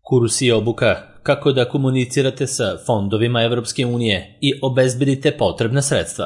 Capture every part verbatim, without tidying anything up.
Kurs i obuka kako da komunicirate sa fondovima Evropske unije i obezbedite potrebna sredstva.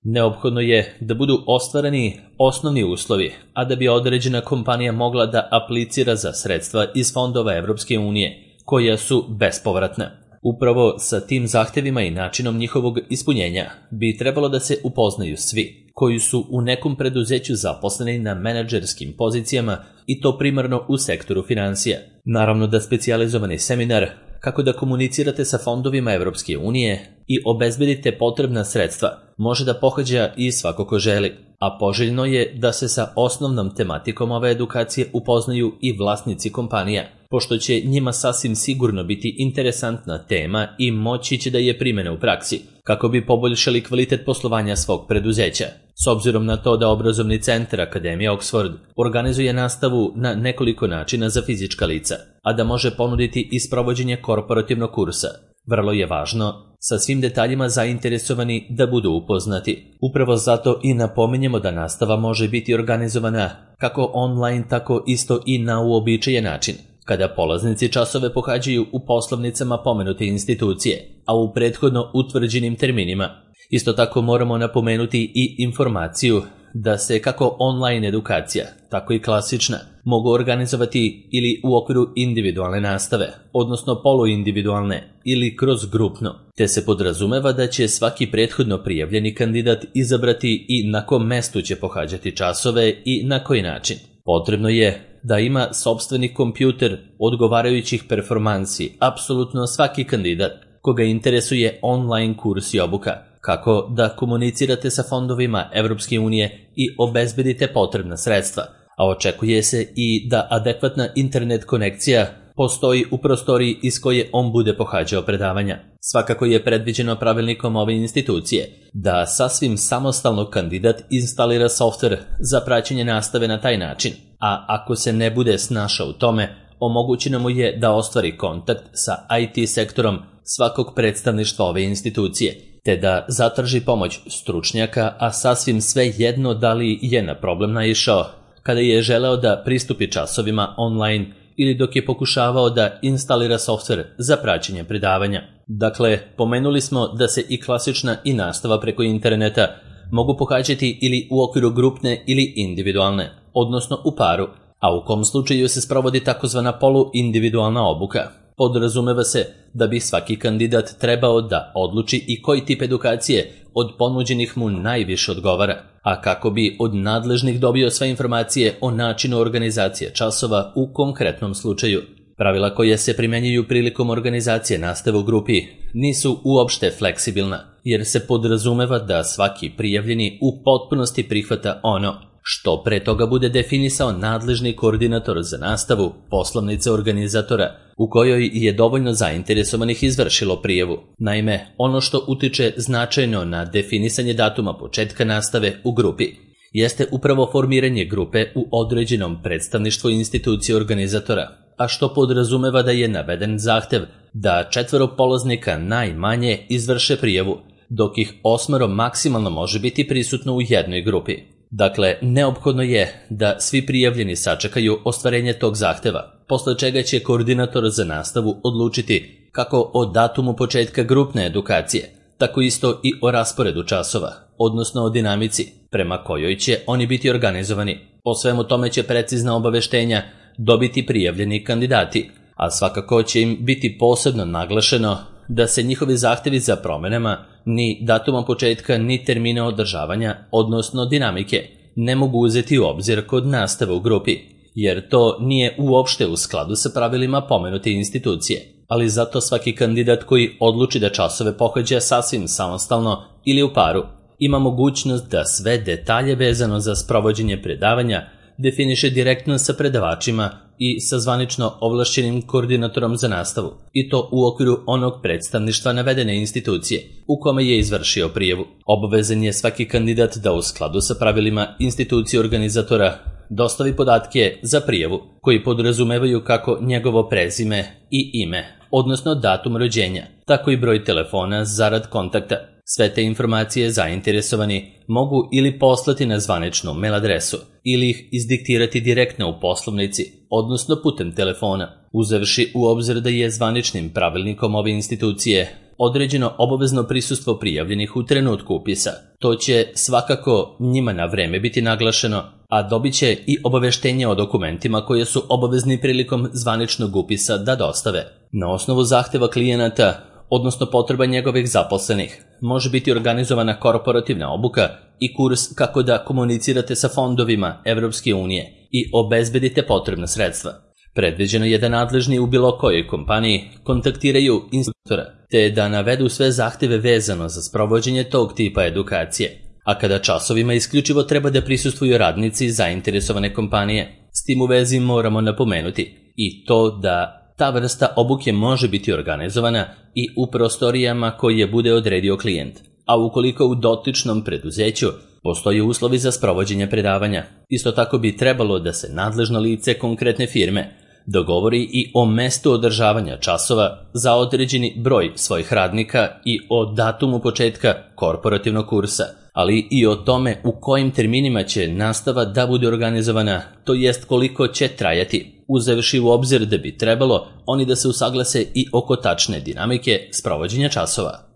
Neophodno je da budu ostvareni osnovni uslovi, a da bi određena kompanija mogla da aplicira za sredstva iz fondova Evropske unije, koja su bespovratna. Upravo sa tim zahtevima i načinom njihovog ispunjenja bi trebalo da se upoznaju svi koji su u nekom preduzeću zaposleni na menadžerskim pozicijama i to primarno u sektoru finansija. Naravno da specijalizovani seminar kako da komunicirate sa fondovima Evropske unije i obezbedite potrebna sredstva može da pohađa i svako ko želi, a poželjno je da se sa osnovnom tematikom ove edukacije upoznaju i vlasnici kompanija, pošto će njima sasvim sigurno biti interesantna tema i moći će da je primene u praksi, kako bi poboljšali kvalitet poslovanja svog preduzeća. S obzirom na to da obrazovni centar Akademija Oxford organizuje nastavu na nekoliko načina za fizička lica, a da može ponuditi i sprovođenje korporativnog kursa, vrlo je važno sa svim detaljima zainteresovani da budu upoznati. Upravo zato i napominjemo da nastava može biti organizovana kako online, tako isto i na uobičajen način, kada polaznici časove pohađaju u poslovnicama pomenute institucije, a u prethodno utvrđenim terminima. Isto tako moramo napomenuti i informaciju da se kako online edukacija, tako i klasična, mogu organizovati ili u okviru individualne nastave, odnosno poluindividualne ili kroz grupno, te se podrazumeva da će svaki prethodno prijavljeni kandidat izabrati i na kom mestu će pohađati časove i na koji način. Potrebno je da ima sopstveni kompjuter odgovarajućih performansi apsolutno svaki kandidat koga interesuje online kurs i obuka, kako da komunicirate sa fondovima Evropske unije i obezbedite potrebna sredstva, a očekuje se i da adekvatna internet konekcija postoji u prostoriji iz koje on bude pohađao predavanja. Svakako je predviđeno pravilnikom ove institucije da sasvim samostalno kandidat instalira softver za praćenje nastave na taj način, a ako se ne bude snašao u tome, omogućeno mu je da ostvari kontakt sa I T sektorom svakog predstavništva ove institucije, te da zatraži pomoć stručnjaka, a sasvim sve jedno da li je na problem naišao kada je želeo da pristupi časovima online ili dok je pokušavao da instalira softver za praćenje predavanja. Dakle, pomenuli smo da se i klasična i nastava preko interneta mogu pohađati ili u okviru grupne ili individualne, odnosno u paru, a u kom slučaju se sprovodi takozvana poluindividualna obuka. Podrazumeva se da bi svaki kandidat trebao da odluči i koji tip edukacije od ponuđenih mu najviše odgovara, a kako bi od nadležnih dobio sve informacije o načinu organizacije časova u konkretnom slučaju. Pravila koje se primenjuju prilikom organizacije nastave u grupi nisu uopšte fleksibilna, jer se podrazumeva da svaki prijavljeni u potpunosti prihvata ono što pre toga bude definisao nadležni koordinator za nastavu poslovnice organizatora, u kojoj je dovoljno zainteresovanih izvršilo prijavu. Naime, ono što utiče značajno na definisanje datuma početka nastave u grupi jeste upravo formiranje grupe u određenom predstavništvu institucije organizatora, a što podrazumeva da je naveden zahtev da četvoro polaznika najmanje izvrše prijavu, dok ih osmero maksimalno može biti prisutno u jednoj grupi. Dakle, neophodno je da svi prijavljeni sačekaju ostvarenje tog zahteva, posle čega će koordinator za nastavu odlučiti kako o datumu početka grupne edukacije, tako isto i o rasporedu časova, odnosno o dinamici prema kojoj će oni biti organizovani. O svemu tome će precizna obaveštenja dobiti prijavljeni kandidati, a svakako će im biti posebno naglašeno da se njihovi zahtevi za promenama ni datuma početka ni termina održavanja, odnosno dinamike, ne mogu uzeti u obzir kod nastave u grupi, jer to nije uopšte u skladu sa pravilima pomenute institucije. Ali zato svaki kandidat koji odluči da časove pohađa sasvim samostalno ili u paru, ima mogućnost da sve detalje vezano za sprovođenje predavanja definiše direktno sa predavačima i sa zvanično ovlašćenim koordinatorom za nastavu, i to u okviru onog predstavništva navedene institucije u kome je izvršio prijavu. Obavezan je svaki kandidat da u skladu sa pravilima institucije organizatora dostavi podatke za prijavu koji podrazumevaju kako njegovo prezime i ime, odnosno datum rođenja, tako i broj telefona zarad kontakta. Sve te informacije zainteresovani mogu ili poslati na zvaničnu mail adresu ili ih izdiktirati direktno u poslovnici odnosno putem telefona, uzevši u obzir da je zvaničnim pravilnikom ove institucije određeno obavezno prisustvo prijavljenih u trenutku upisa. To će svakako njima na vreme biti naglašeno, a dobit će i obaveštenje o dokumentima koje su obavezni prilikom zvaničnog upisa da dostave. Na osnovu zahteva klijenata, odnosno potreba njegovih zaposlenih, može biti organizovana korporativna obuka i kurs kako da komunicirate sa fondovima Evropske unije i obezbedite potrebna sredstva. Predviđeno je da nadležni u bilo kojoj kompaniji kontaktiraju instruktora, te da navedu sve zahteve vezano za sprovođenje tog tipa edukacije. A kada časovima isključivo treba da prisustvuju radnici zainteresovane kompanije, s tim u vezi moramo napomenuti i to da ta vrsta obuke može biti organizovana i u prostorijama koje bude odredio klijent, a ukoliko u dotičnom preduzeću postoje uslovi za sprovođenje predavanja. Isto tako bi trebalo da se nadležno lice konkretne firme dogovori i o mestu održavanja časova za određeni broj svojih radnika i o datumu početka korporativnog kursa, ali i o tome u kojim terminima će nastava da bude organizovana, to jest koliko će trajati, uzevši u obzir da bi trebalo oni da se usaglase i oko tačne dinamike sprovođenja časova.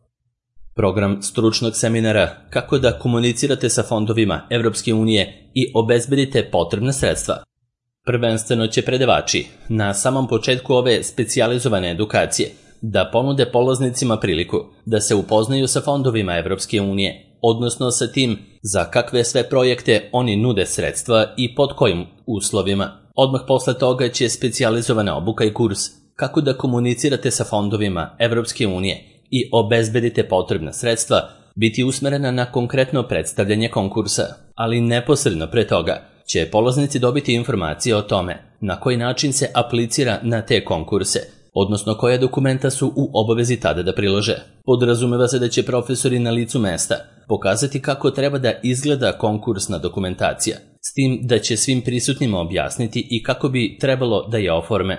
Program stručnog seminara kako da komunicirate sa fondovima Evropske unije i obezbedite potrebna sredstva. Prvenstveno će predavači na samom početku ove specijalizovane edukacije da ponude polaznicima priliku da se upoznaju sa fondovima Evropske unije, odnosno sa tim za kakve sve projekte oni nude sredstva i pod kojim uslovima. Odmah posle toga će specijalizovana obuka i kurs kako da komunicirate sa fondovima Evropske unije i obezbedite potrebna sredstva biti usmerena na konkretno predstavljanje konkursa, ali neposredno pre toga će polaznici dobiti informacije o tome na koji način se aplicira na te konkurse, odnosno koja dokumenta su u obavezi tada da prilože. Podrazumeva se da će profesori na licu mesta pokazati kako treba da izgleda konkursna dokumentacija, s tim da će svim prisutnima objasniti i kako bi trebalo da je oforme.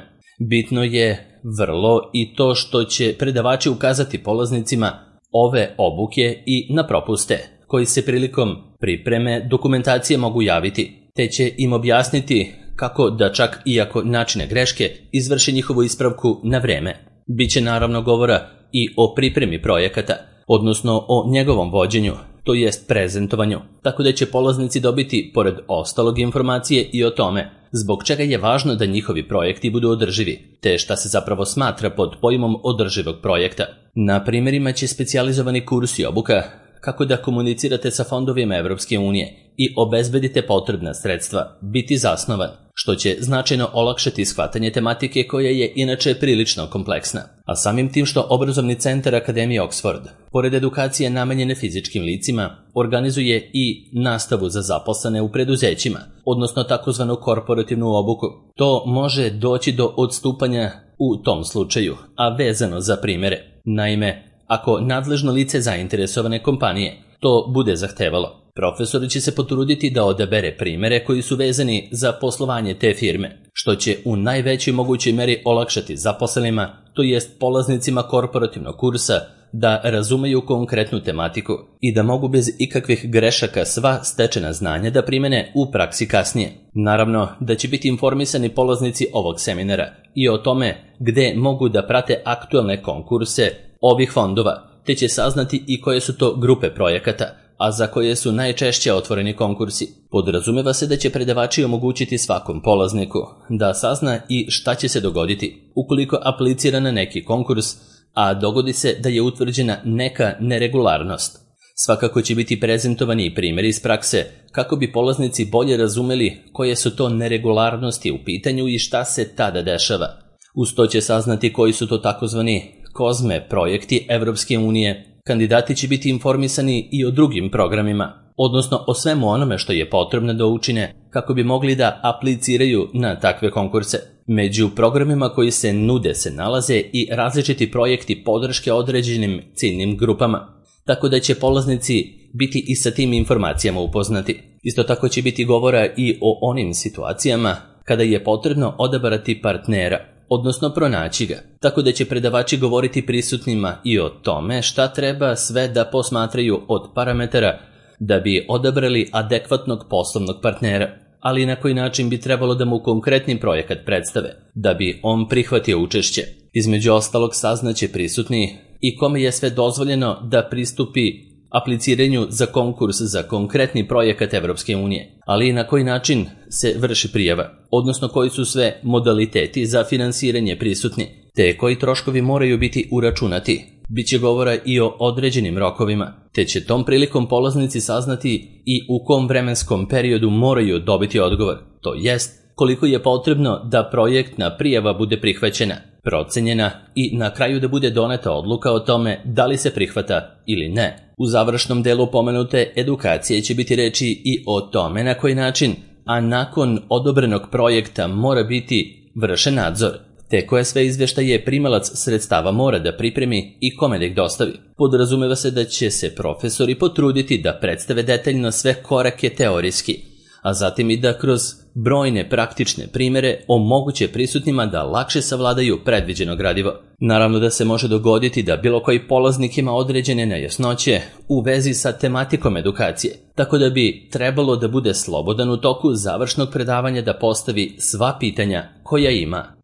Bitno je vrlo i to što će predavači ukazati polaznicima ove obuke i na propuste koji se prilikom pripreme dokumentacije mogu javiti, te će im objasniti kako da čak iako načine greške izvrše njihovu ispravku na vreme. Biće naravno govora i o pripremi projekata, odnosno o njegovom vođenju, to jest prezentovanju, tako da će polaznici dobiti pored ostalog informacije i o tome zbog čega je važno da njihovi projekti budu održivi, te šta se zapravo smatra pod pojmom održivog projekta. Na primjerima će specijalizovani kurs i obuka kako da komunicirate sa fondovima Evropske unije i obezbedite potrebna sredstva biti zasnovan, što će značajno olakšati shvatanje tematike koja je inače prilično kompleksna. A samim tim što obrazovni centar Akademije Oxford, pored edukacije namenjene fizičkim licima, organizuje i nastavu za zaposlene u preduzećima, odnosno takozvanu korporativnu obuku. To može doći do odstupanja u tom slučaju, a vezano za primjere. Naime, ako nadležno lice zainteresovane kompanije to bude zahtevalo, profesor će se potruditi da odabere primere koji su vezani za poslovanje te firme, što će u najvećoj mogućoj meri olakšati zaposlenima, to jest polaznicima korporativnog kursa, da razumeju konkretnu tematiku i da mogu bez ikakvih grešaka sva stečena znanja da primene u praksi kasnije. Naravno da će biti informisani polaznici ovog seminara i o tome gde mogu da prate aktuelne konkurse ovih fondova, te će saznati i koje su to grupe projekata, a za koje su najčešće otvoreni konkursi. Podrazumeva se da će predavači omogućiti svakom polazniku da sazna i šta će se dogoditi ukoliko aplicira na neki konkurs, a dogodi se da je utvrđena neka neregularnost. Svakako će biti prezentovani primjeri iz prakse kako bi polaznici bolje razumeli koje su to neregularnosti u pitanju i šta se tada dešava. Uz to će saznati koji su to takozvani kozme projekti Evropske unije. Kandidati će biti informisani i o drugim programima, odnosno o svemu onome što je potrebno da učine kako bi mogli da apliciraju na takve konkurse. Među programima koji se nude se nalaze i različiti projekti podrške određenim ciljnim grupama, tako da će polaznici biti i sa tim informacijama upoznati. Isto tako će biti govora i o onim situacijama kada je potrebno odabrati partnera, odnosno pronaći ga, tako da će predavači govoriti prisutnima i o tome šta treba sve da posmatraju od parametara da bi odabrali adekvatnog poslovnog partnera, ali na koji način bi trebalo da mu konkretni projekat predstave, da bi on prihvatio učešće. Između ostalog saznaće prisutni i kome je sve dozvoljeno da pristupi apliciranju za konkurs za konkretni projekat Evropske unije, ali i na koji način se vrši prijava, odnosno koji su sve modaliteti za finansiranje prisutni, te koji troškovi moraju biti uračunati. Biće govora i o određenim rokovima, te će tom prilikom polaznici saznati i u kom vremenskom periodu moraju dobiti odgovor, to jest koliko je potrebno da projektna prijava bude prihvaćena, procenjena i na kraju da bude doneta odluka o tome da li se prihvata ili ne. U završnom delu pomenute edukacije će biti reči i o tome na koji način, a nakon odobrenog projekta mora biti vršen nadzor, te koje sve izveštaje primalac sredstava mora da pripremi i kome da ih dostavi. Podrazumeva se da će se profesori potruditi da predstave detaljno sve korake teorijski, a zatim i da kroz brojne praktične primere omoguće prisutnima da lakše savladaju predviđeno gradivo. Naravno da se može dogoditi da bilo koji polaznik ima određene nejasnoće u vezi sa tematikom edukacije, tako da bi trebalo da bude slobodan u toku završnog predavanja da postavi sva pitanja koja ima.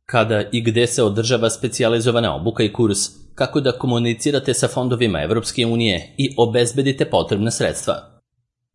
Kada i gde se održava specijalizovana obuka i kurs, kako da komunicirate sa fondovima Evropske unije i obezbedite potrebna sredstva.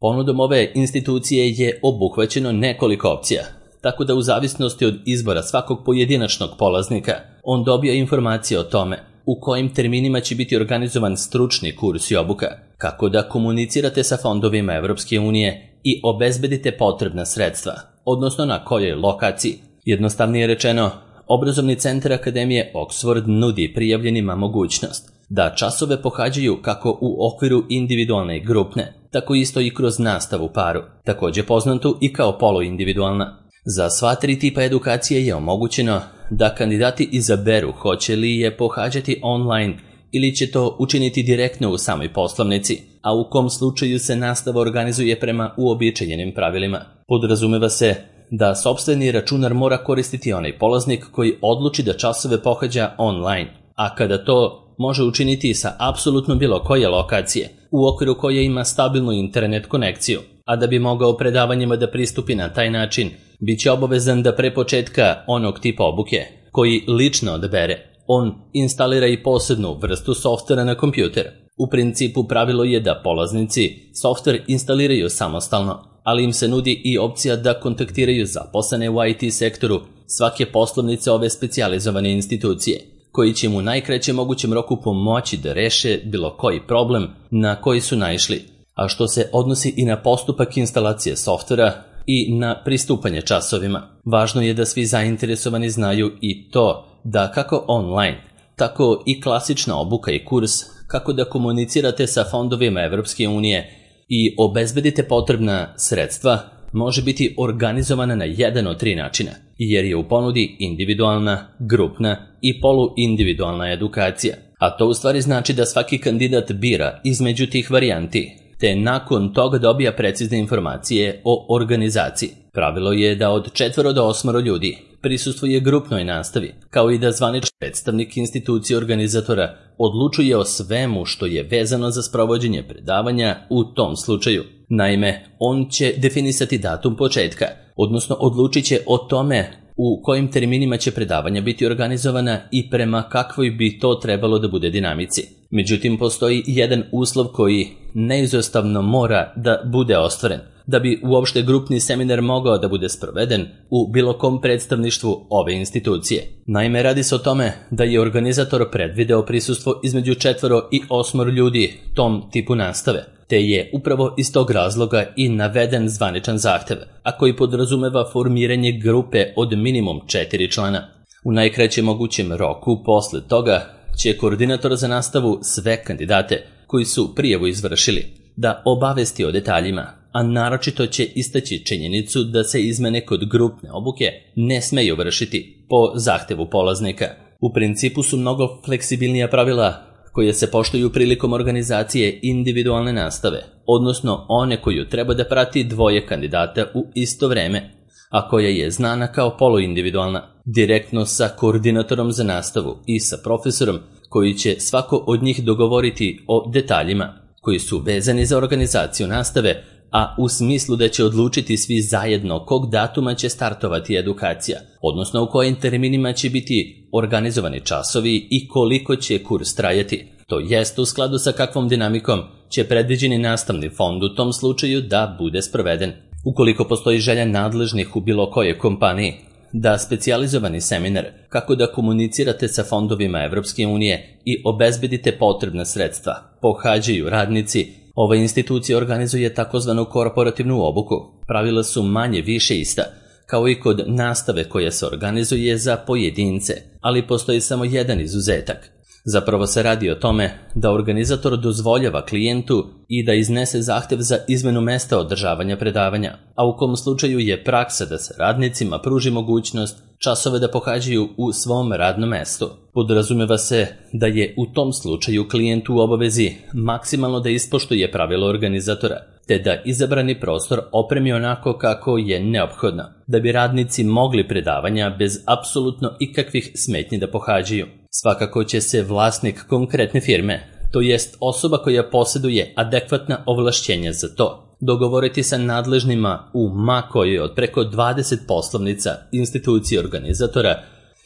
Ponudom ove institucije je obuhvaćeno nekoliko opcija, tako da u zavisnosti od izbora svakog pojedinačnog polaznika, on dobija informacije o tome u kojim terminima će biti organizovan stručni kurs i obuka, kako da komunicirate sa fondovima Evropske unije i obezbedite potrebna sredstva, odnosno na kojoj lokaciji. Jednostavnije rečeno, Obrazovni centar Akademije Oxford nudi prijavljenima mogućnost da časove pohađaju kako u okviru individualne i grupne, tako isto i kroz nastavu paru, također poznatu i kao poluindividualna. Za sva tri tipa edukacije je omogućeno da kandidati izaberu hoće li je pohađati online ili će to učiniti direktno u samoj poslovnici, a u kom slučaju se nastava organizuje prema uobičajenim pravilima. Podrazumeva se da sopstveni računar mora koristiti onaj polaznik koji odluči da časove pohađa online, a kada to može učiniti sa apsolutno bilo koje lokacije, u okviru koje ima stabilnu internet konekciju, a da bi mogao predavanjima da pristupi na taj način, bit će obavezan da pre početka onog tipa obuke, koji lično odbere, on instalira i posebnu vrstu softvera na kompjuter. U principu pravilo je da polaznici softver instaliraju samostalno, ali im se nudi i opcija da kontaktiraju zaposlene u I T sektoru svake poslovnice ove specijalizovane institucije, koji će mu u najkraćem mogućem roku pomoći da reše bilo koji problem na koji su naišli, a što se odnosi i na postupak instalacije softvera i na pristupanje časovima. Važno je da svi zainteresovani znaju i to da kako online, tako i klasična obuka i kurs, kako da komunicirate sa fondovima Evropske unije i obezbedite potrebna sredstva, može biti organizovana na jedan od tri načina, jer je u ponudi individualna, grupna i poluindividualna edukacija. A to u stvari znači da svaki kandidat bira između tih varijanti, te nakon toga dobija precizne informacije o organizaciji. Pravilo je da od četvoro do osmoro ljudi prisustvuje grupnoj nastavi, kao i da zvanični predstavnik institucije organizatora odlučuje o svemu što je vezano za sprovođenje predavanja u tom slučaju. Naime, on će definisati datum početka, odnosno odlučit će o tome u kojim terminima će predavanja biti organizovana i prema kakvoj bi to trebalo da bude dinamici. Međutim, postoji jedan uslov koji neizostavno mora da bude ostvaren, da bi uopšte grupni seminar mogao da bude sproveden u bilo kom predstavništvu ove institucije. Naime, radi se o tome da je organizator predvideo prisustvo između četvoro i osmoro ljudi tom tipu nastave, te je upravo iz tog razloga i naveden zvaničan zahtev, a koji podrazumeva formiranje grupe od minimum četiri člana. U najkraćem mogućem roku posle toga će koordinator za nastavu sve kandidate koji su prijavu izvršili da obavesti o detaljima, a naročito će istaći činjenicu da se izmene kod grupne obuke ne smeju vršiti po zahtevu polaznika. U principu su mnogo fleksibilnija pravila koje se poštuju prilikom organizacije individualne nastave, odnosno one koju treba da prati dvoje kandidata u isto vreme, a koja je znana kao poluindividualna, direktno sa koordinatorom za nastavu i sa profesorom koji će svako od njih dogovoriti o detaljima koji su vezani za organizaciju nastave a u smislu da će odlučiti svi zajedno kog datuma će startovati edukacija, odnosno u kojim terminima će biti organizovani časovi i koliko će kurs trajati. To jest u skladu sa kakvom dinamikom će predviđeni nastavni fond u tom slučaju da bude sproveden. Ukoliko postoji želja nadležnih u bilo kojoj kompaniji da specijalizovani seminar kako da komunicirate sa fondovima Evropske unije i obezbedite potrebna sredstva pohađaju radnici, ova institucija organizuje takozvanu korporativnu obuku. Pravila su manje više ista, kao i kod nastave koja se organizuje za pojedince, ali postoji samo jedan izuzetak. Zapravo se radi o tome da organizator dozvoljava klijentu i da iznese zahtev za izmenu mesta održavanja predavanja, a u kom slučaju je praksa da se radnicima pruži mogućnost časove da pohađaju u svom radnom mestu. Podrazumeva se da je u tom slučaju klijent u obavezi maksimalno da ispoštuje pravilo organizatora, te da izabrani prostor opremi onako kako je neophodno, da bi radnici mogli predavanja bez apsolutno ikakvih smetnji da pohađaju. Svakako će se vlasnik konkretne firme, to jest osoba koja posjeduje adekvatna ovlašćenja za to, dogovoriti sa nadležnima u ma kojoj od preko dvadeset poslovnica institucije organizatora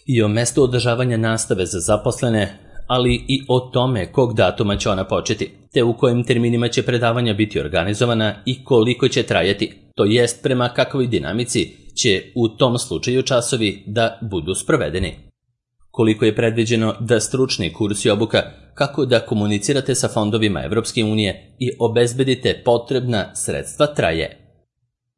i o mestu održavanja nastave za zaposlene, ali i o tome kog datuma će ona početi, te u kojim terminima će predavanja biti organizovana i koliko će trajati, to jest prema kakvoj dinamici će u tom slučaju časovi da budu sprovedeni. Koliko je predviđeno da stručni kurs i obuka kako da komunicirate sa fondovima Evropske unije i obezbedite potrebna sredstva traje.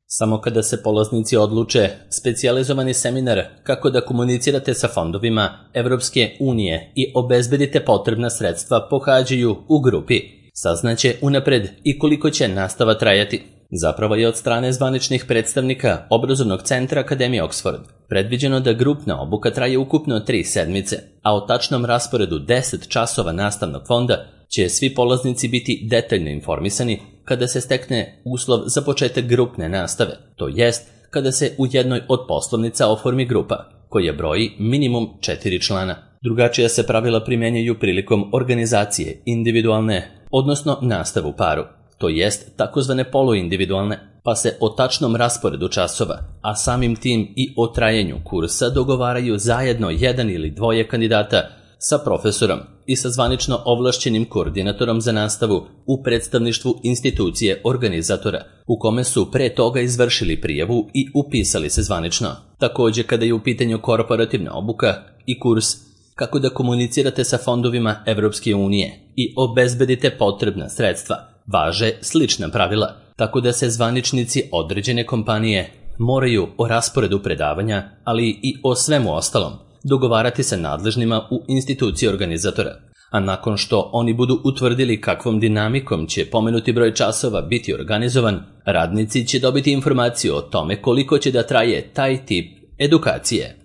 Samo kada se polaznici odluče, specijalizovani seminar kako da komunicirate sa fondovima Evropske unije i obezbedite potrebna sredstva pohađaju u grupi. Saznaće unapred i koliko će nastava trajati. Zapravo je od strane zvaničnih predstavnika Obrazovnog centra Akademije Oxford predviđeno da grupna obuka traje ukupno tri sedmice, a o tačnom rasporedu deset časova nastavnog fonda će svi polaznici biti detaljno informisani kada se stekne uslov za početak grupne nastave, to jest kada se u jednoj od poslovnica oformi grupa, koja broji minimum četiri člana. Drugačija se pravila primjenjuju prilikom organizacije individualne, odnosno nastave u paru, to jest takozvane poluindividualne, pa se o tačnom rasporedu časova, a samim tim i o trajanju kursa dogovaraju zajedno jedan ili dvoje kandidata sa profesorom i sa zvanično ovlašćenim koordinatorom za nastavu u predstavništvu institucije organizatora, u kome su pre toga izvršili prijavu i upisali se zvanično. Također, kada je u pitanju korporativna obuka i kurs kako da komunicirate sa fondovima Evropske unije i obezbedite potrebna sredstva, važe slična pravila, tako da se zvaničnici određene kompanije moraju o rasporedu predavanja, ali i o svemu ostalom, dogovarati sa nadležnima u instituciji organizatora. A nakon što oni budu utvrdili kakvom dinamikom će pomenuti broj časova biti organizovan, radnici će dobiti informaciju o tome koliko će da traje taj tip edukacije.